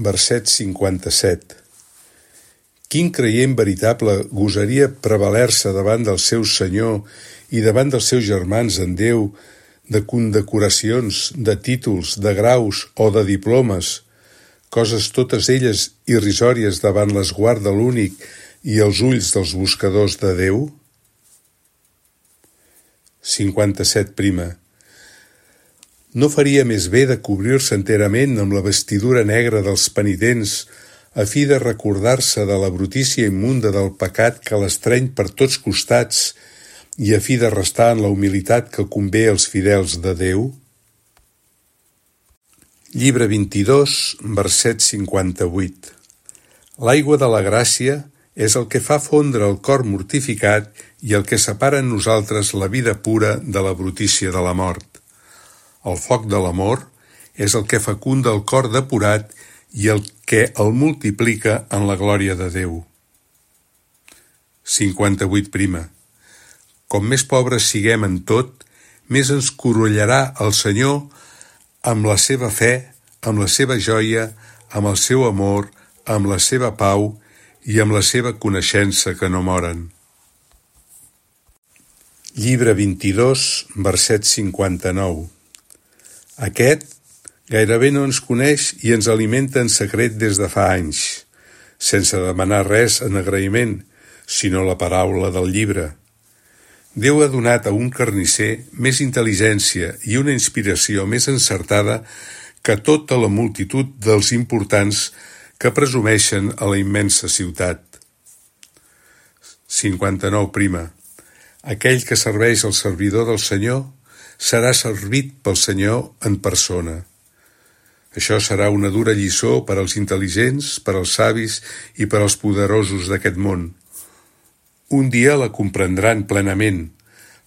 verset 57. Quin creient veritable gosaria prevaler-se davant del seu Senyor i davant dels seus germans en Déu de condecoracions, de títols, de graus o de diplomes, coses totes elles irrisòries davant l'esguard de l'únic i els ulls dels buscadors de Déu? 57. No faria més bé de cobrir-se enterament amb la vestidura negra dels penitents a fi de recordar-se de la brutícia immunda del pecat que l'estreny per tots costats i a fi de restar en la humilitat que convé als fidels de Déu? Llibre 22, verset 58. L'aigua de la gràcia és el que fa fondre el cor mortificat i el que separa en nosaltres la vida pura de la brutícia de la mort. El foc de l'amor és el que fecunda el cor depurat i el que el multiplica en la glòria de Déu. 58. Com més pobres siguem en tot, més ens corollarà el Senyor amb la seva fe, amb la seva joia, amb el seu amor, amb la seva pau i amb la seva coneixença que no moren. Llibre 22, verset 59. Aquest gairebé no ens coneix i ens alimenta en secret des de fa anys, sense demanar res en agraïment, sinó la paraula del llibre. Déu ha donat a un carnisser més intel·ligència i una inspiració més encertada que tota la multitud dels importants que presumeixen a la immensa ciutat. 59. Aquell que serveix al servidor del Senyor serà servit pel Senyor en persona. Això serà una dura lliçó per als intel·ligents, per als savis i per als poderosos d'aquest món. Un dia la comprendran plenament,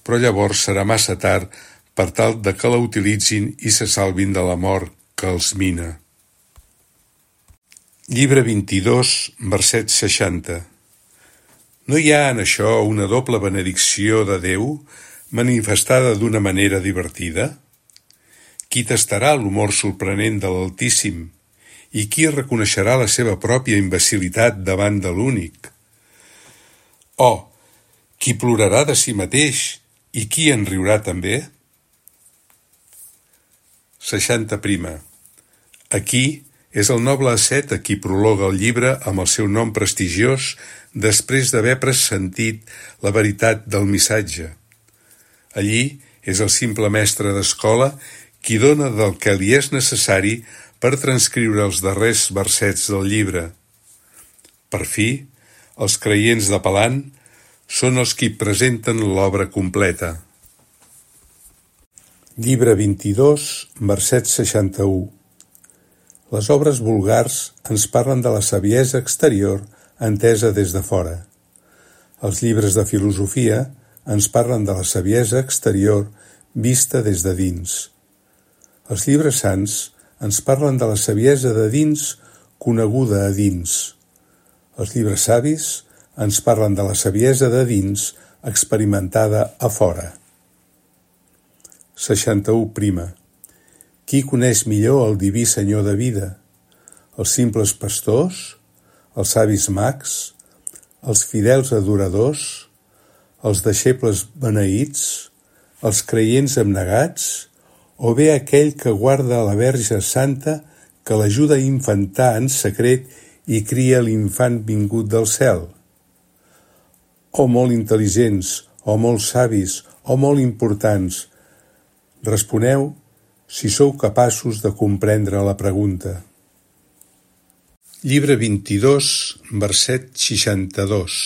però llavors serà massa tard per tal de que la utilitzin i se salvin de la mort que els mina. Llibre 22, verset 60. No hi ha en això una doble benedicció de Déu manifestada d'una manera divertida? Qui tastarà l'humor sorprenent de l'Altíssim i qui reconeixerà la seva pròpia imbecilitat davant de l'Únic? Oh, qui plorarà de si mateix i qui en riurà també? 60. Aquí és el noble asceta qui prologa el llibre amb el seu nom prestigiós després d'haver pressentit la veritat del missatge. Allí és el simple mestre d'escola qui dona del que li és necessari per transcriure els darrers versets del llibre. Per fi, els creients de Palant són els qui presenten l'obra completa. Llibre 22, verset 61. Les obres vulgars ens parlen de la saviesa exterior entesa des de fora. Els llibres de filosofia ens parlen de la saviesa exterior vista des de dins. Els llibres sants ens parlen de la saviesa de dins coneguda a dins. Els llibres savis ens parlen de la saviesa de dins experimentada a fora. 61. Qui coneix millor el diví Senyor de vida? Els simples pastors? Els savis mags? Els fidels adoradors? Els deixebles beneïts? Els creients abnegats? O bé aquell que guarda la Verge Santa que l'ajuda a infantar en secret i cria l'infant vingut del cel? O molt intel·ligents, o molt savis, o molt importants, responeu si sou capaços de comprendre la pregunta. Llibre 22, verset 62.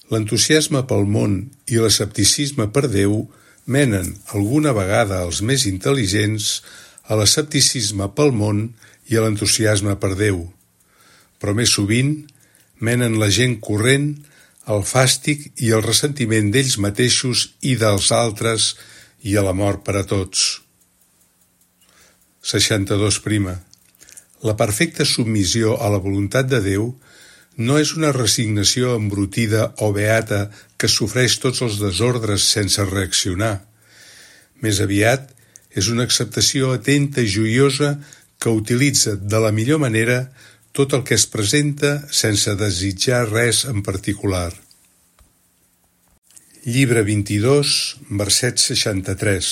L'entusiasme pel món i l'escepticisme per Déu menen alguna vegada els més intel·ligents a l'escepticisme pel món i a l'entusiasme per Déu, però més sovint menen la gent corrent al fàstic i al ressentiment d'ells mateixos i dels altres i a la mort per a tots. 62. La perfecta submissió a la voluntat de Déu no és una resignació embrutida o beata que sofreix tots els desordres sense reaccionar. Més aviat, és una acceptació atenta i joiosa que utilitza de la millor manera tot el que es presenta sense desitjar res en particular. Llibre 22, verset 63.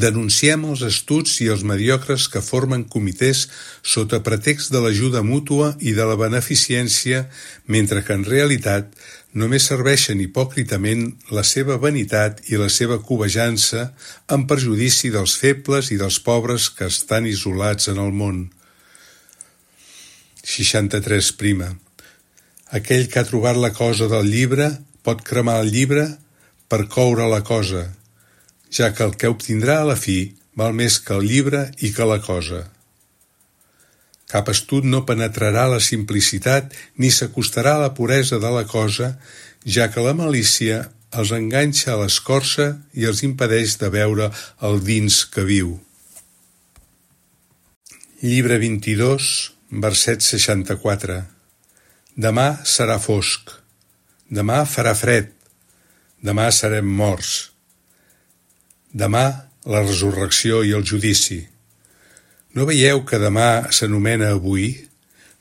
Denunciem els astuts i els mediocres que formen comitès sota pretext de l'ajuda mútua i de la beneficència, mentre que en realitat només serveixen hipòcritament la seva vanitat i la seva cobejança en perjudici dels febles i dels pobres que estan isolats en el món. 63. Aquell que ha trobat la cosa del llibre pot cremar el llibre per coure la cosa, ja que el que obtindrà a la fi val més que el llibre i que la cosa. Cap astut no penetrarà la simplicitat ni s'acostarà a la puresa de la cosa, ja que la malícia els enganxa a l'escorça i els impedeix de veure el dins que viu. Llibre 22, verset 64. Demà serà fosc. Demà farà fred. Demà serem morts. Demà, la resurrecció i el judici. No veieu que demà s'anomena avui?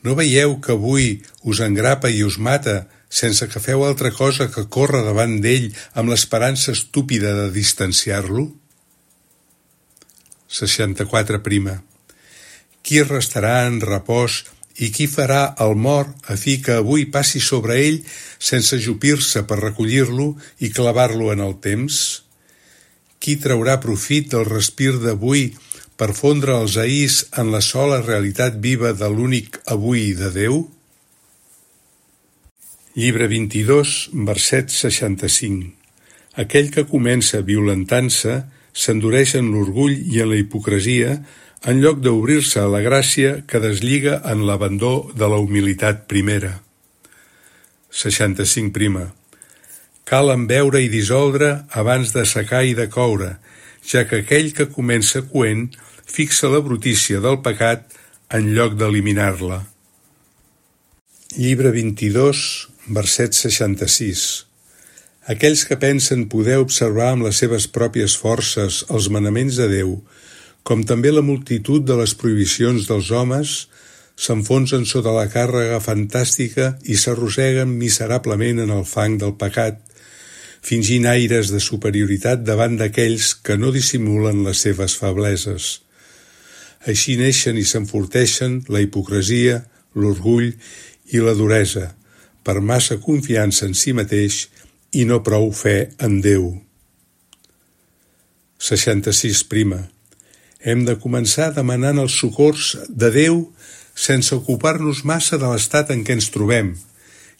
No veieu que avui us engrapa i us mata sense que feu altra cosa que córrer davant d'ell amb l'esperança estúpida de distanciar-lo? 64. Qui restarà en repòs i qui farà el mort a fi que avui passi sobre ell sense ajupir-se per recollir-lo i clavar-lo en el temps? Qui traurà profit del respir d'avui per fondre els ahís en la sola realitat viva de l'únic avui de Déu? Llibre 22, verset 65. Aquell que comença violentant-se s'endureix en l'orgull i en la hipocresia en lloc d'obrir-se a la gràcia que deslliga en l'abandó de la humilitat primera. 65. Cal embeure i dissoldre abans de secar i de coure, ja que aquell que comença coent fixa la brutícia del pecat en lloc d'eliminar-la. Llibre 22, verset 66. Aquells que pensen poder observar amb les seves pròpies forces els manaments de Déu, com també la multitud de les prohibicions dels homes, s'enfonsen sota la càrrega fantàstica i s'arrosseguen miserablement en el fang del pecat, fingint aires de superioritat davant d'aquells que no dissimulen les seves febleses. Així neixen i s'enforteixen la hipocresia, l'orgull i la duresa, per massa confiança en si mateix i no prou fe en Déu. 66. Hem de començar demanant els socors de Déu sense ocupar-nos massa de l'estat en què ens trobem,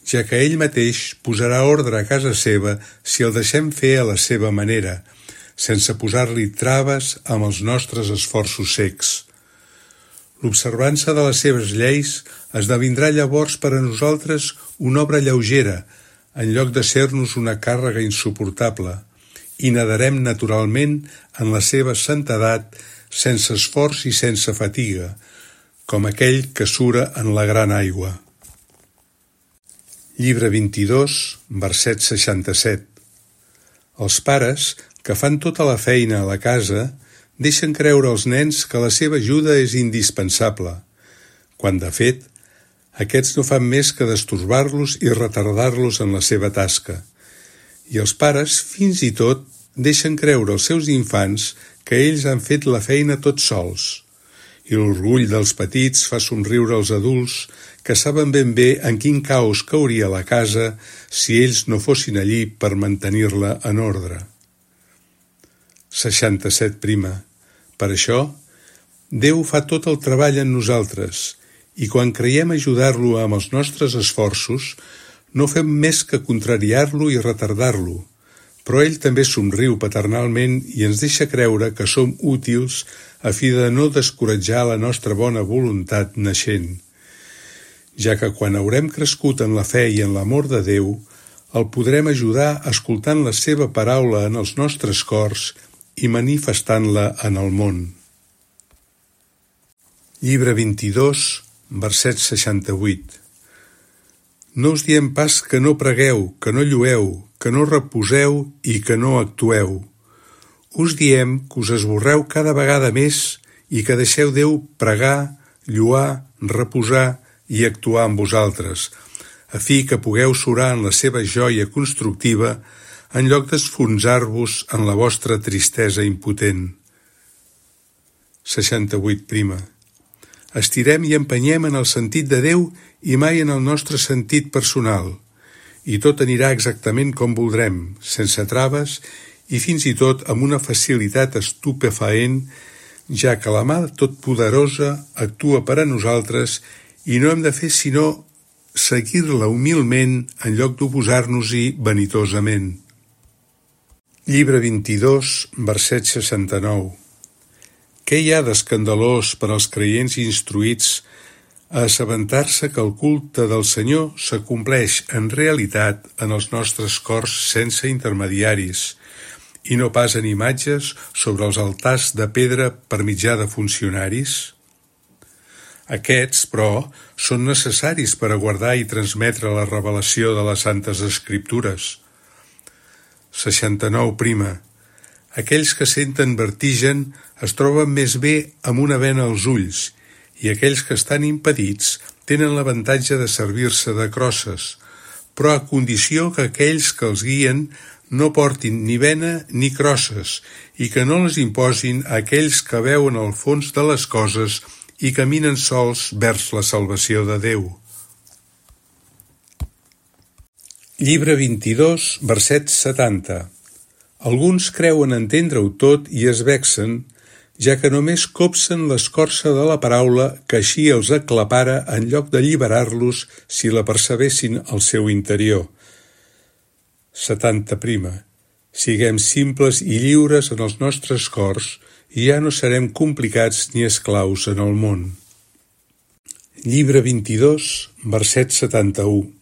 ja que ell mateix posarà ordre a casa seva si el deixem fer a la seva manera, sense posar-li traves amb els nostres esforços secs. L'observança de les seves lleis esdevindrà llavors per a nosaltres una obra lleugera, en lloc de ser-nos una càrrega insuportable, i nadarem naturalment en la seva santedat sense esforç i sense fatiga, com aquell que sura en la gran aigua. Llibre 22, verset 67. Els pares, que fan tota la feina a la casa, deixen creure als nens que la seva ajuda és indispensable, quan, de fet, aquests no fan més que destorbar-los i retardar-los en la seva tasca. I els pares, fins i tot, deixen creure als seus infants que ells han fet la feina tots sols. I l'orgull dels petits fa somriure els adults que saben ben bé en quin caos cauria la casa si ells no fossin allí per mantenir-la en ordre. 67. Per això, Déu fa tot el treball en nosaltres i quan creiem ajudar-lo amb els nostres esforços, no fem més que contrariar-lo i retardar-lo, però ell també somriu paternalment i ens deixa creure que som útils a fi de no descoratjar la nostra bona voluntat naixent, ja que quan haurem crescut en la fe i en l'amor de Déu, el podrem ajudar escoltant la seva paraula en els nostres cors i manifestant-la en el món. Llibre 22, verset 68. No us diem pas que no pregueu, que no llueu, que no reposeu i que no actueu. Us diem que us esborreu cada vegada més i que deixeu Déu pregar, lluar, reposar i actuar amb vosaltres, a fi que pugueu surar en la seva joia constructiva en lloc d'esfonsar-vos en la vostra tristesa impotent. 68. Estirem i empenyem en el sentit de Déu i mai en el nostre sentit personal, i tot anirà exactament com voldrem, sense traves i fins i tot amb una facilitat estupefaent, ja que la mà totpoderosa actua per a nosaltres i no hem de fer sinó seguir-la humilment en lloc d'oposar-nos-hi vanitosament. Llibre 22, verset 69. Què hi ha d'escandalós per als creients instruïts a assabentar-se que el culte del Senyor s'acompleix en realitat en els nostres cors sense intermediaris i no pas en imatges sobre els altars de pedra per mitjà de funcionaris? Aquests, però, són necessaris per a guardar i transmetre la revelació de les Santes Escriptures. 69. Aquells que senten vertigen es troben més bé amb una bena als ulls i aquells que estan impedits tenen l'avantatge de servir-se de crosses, però a condició que aquells que els guien no portin ni bena ni crosses i que no les imposin a aquells que veuen el fons de les coses i caminen sols vers la salvació de Déu. Llibre 22, verset 70. Alguns creuen entendre-ho tot i es vexen, ja que només copsen l'escorça de la paraula que així els aclapara en lloc d'alliberar-los si la percebessin al seu interior. 70. Siguem simples i lliures en els nostres cors i ja no serem complicats ni esclaus en el món. Llibre 22, verset 71.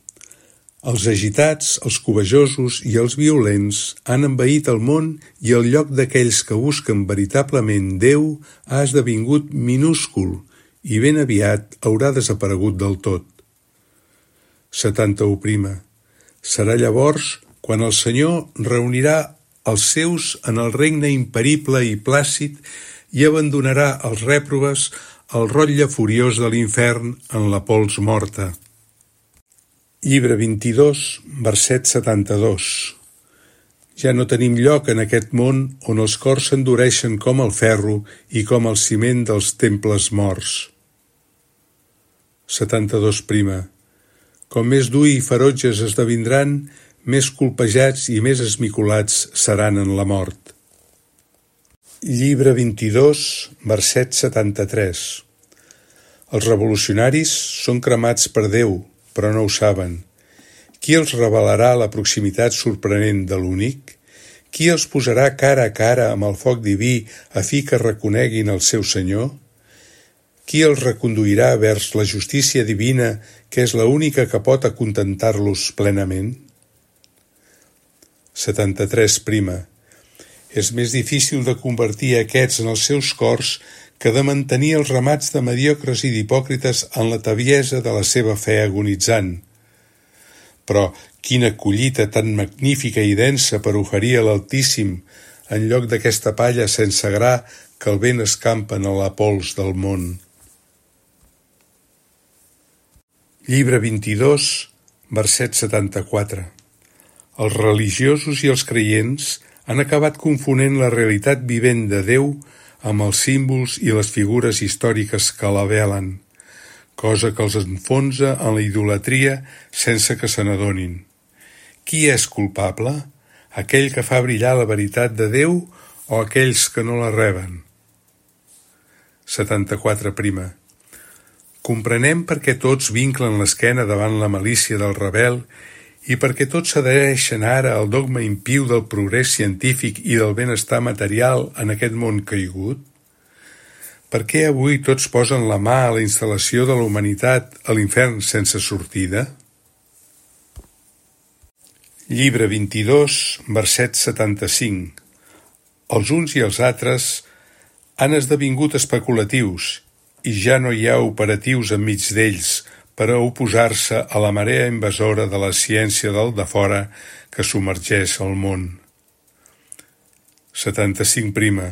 Els agitats, els cobejosos i els violents han envaït el món i el lloc d'aquells que busquen veritablement Déu ha esdevingut minúscul i ben aviat haurà desaparegut del tot. 71. Serà llavors quan el Senyor reunirà els seus en el regne imperible i plàcid i abandonarà els rèprobes al rotlle furiós de l'infern en la pols morta. Llibre 22, verset 72. Ja no tenim lloc en aquest món on els cors s'endureixen com el ferro i com el ciment dels temples morts. 72 prima. Com més dur i ferotges esdevindran, més colpejats i més esmicolats seran en la mort. Llibre 22, verset 73. Els revolucionaris són cremats per Déu, però no ho saben. Qui els revelarà la proximitat sorprenent de l'únic? Qui els posarà cara a cara amb el foc diví a fi que reconeguin el seu Senyor? Qui els reconduirà vers la justícia divina, que és l'única que pot acontentar-los plenament? 73 prima. És més difícil de convertir aquests en els seus cors que de mantenir els ramats de mediocres i d'hipòcrites en la taviesa de la seva fe agonitzant. Però quina collita tan magnífica i densa per oferir a l'Altíssim en lloc d'aquesta palla sense gra que el vent escampa en la pols del món. Llibre 22, verset 74. Els religiosos i els creients han acabat confonent la realitat vivent de Déu amb els símbols i les figures històriques que la velen, cosa que els enfonsa en la idolatria sense que se n'adonin. Qui és culpable? Aquell que fa brillar la veritat de Déu o aquells que no la reben? 74 prima. Comprenem per què tots vinclen l'esquena davant la malícia del rebel i perquè tots s'adhereixen ara al dogma impiu del progrés científic i del benestar material en aquest món caigut? Per què avui tots posen la mà a la instal·lació de la humanitat a l'infern sense sortida? Llibre 22, verset 75. Els uns i els altres han esdevingut especulatius i ja no hi ha operatius enmig d'ells per a oposar-se a la marea invasora de la ciència del defora que submergeix el món. 75 prima.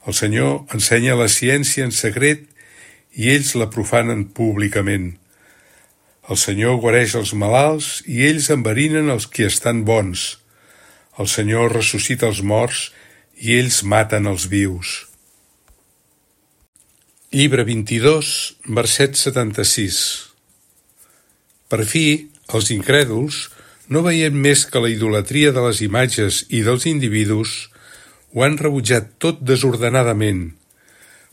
El Senyor ensenya la ciència en secret i ells la profanen públicament. El Senyor guareix els malalts i ells enverinen els qui estan bons. El Senyor ressuscita els morts i ells maten els vius. Llibre 22, verset 76. Per fi, els incrèduls, no veient més que la idolatria de les imatges i dels individus, ho han rebutjat tot desordenadament,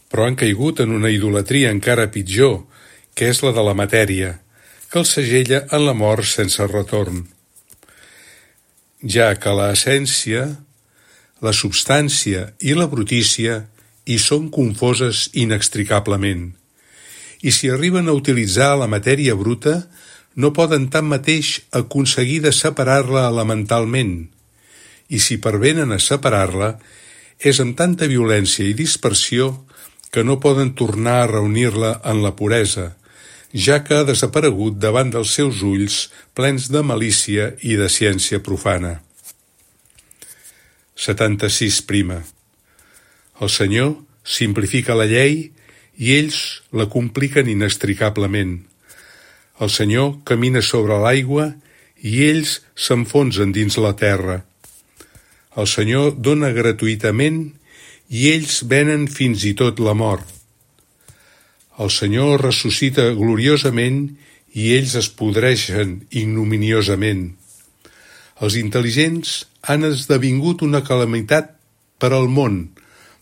però han caigut en una idolatria encara pitjor, que és la de la matèria, que els segella en la mort sense retorn. Ja que l'essència, la substància i la brutícia hi són confoses inextricablement, i si arriben a utilitzar la matèria bruta, no poden tanmateix aconseguir de separar-la elementalment, i si pervenen a separar-la, és amb tanta violència i dispersió que no poden tornar a reunir-la en la puresa, ja que ha desaparegut davant dels seus ulls plens de malícia i de ciència profana. 76 prima. El Senyor simplifica la llei i ells la compliquen inextricablement. El Senyor camina sobre l'aigua i ells s'enfonsen dins la terra. El Senyor dona gratuïtament i ells venen fins i tot la mort. El Senyor ressuscita gloriosament i ells es podreixen ignominiosament. Els intel·ligents han esdevingut una calamitat per al món,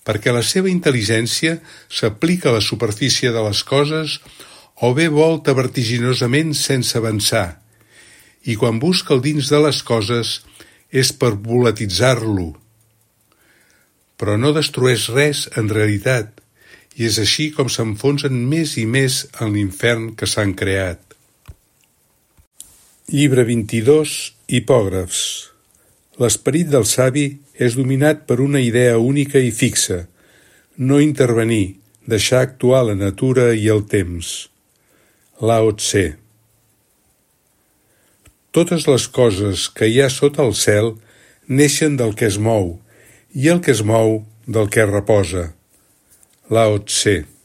perquè la seva intel·ligència s'aplica a la superfície de les coses o bé volta vertiginosament sense avançar, i quan busca el dins de les coses és per volatitzar-lo. Però no destrueix res en realitat, i és així com s'enfonsen més i més en l'infern que s'han creat. Llibre 22, hipògrafs. L'esperit del savi és dominat per una idea única i fixa, no intervenir, deixar actuar la natura i el temps. Lao Tse. Totes les coses que hi ha sota el cel neixen del que es mou, i el que es mou del que reposa. Lao Tse.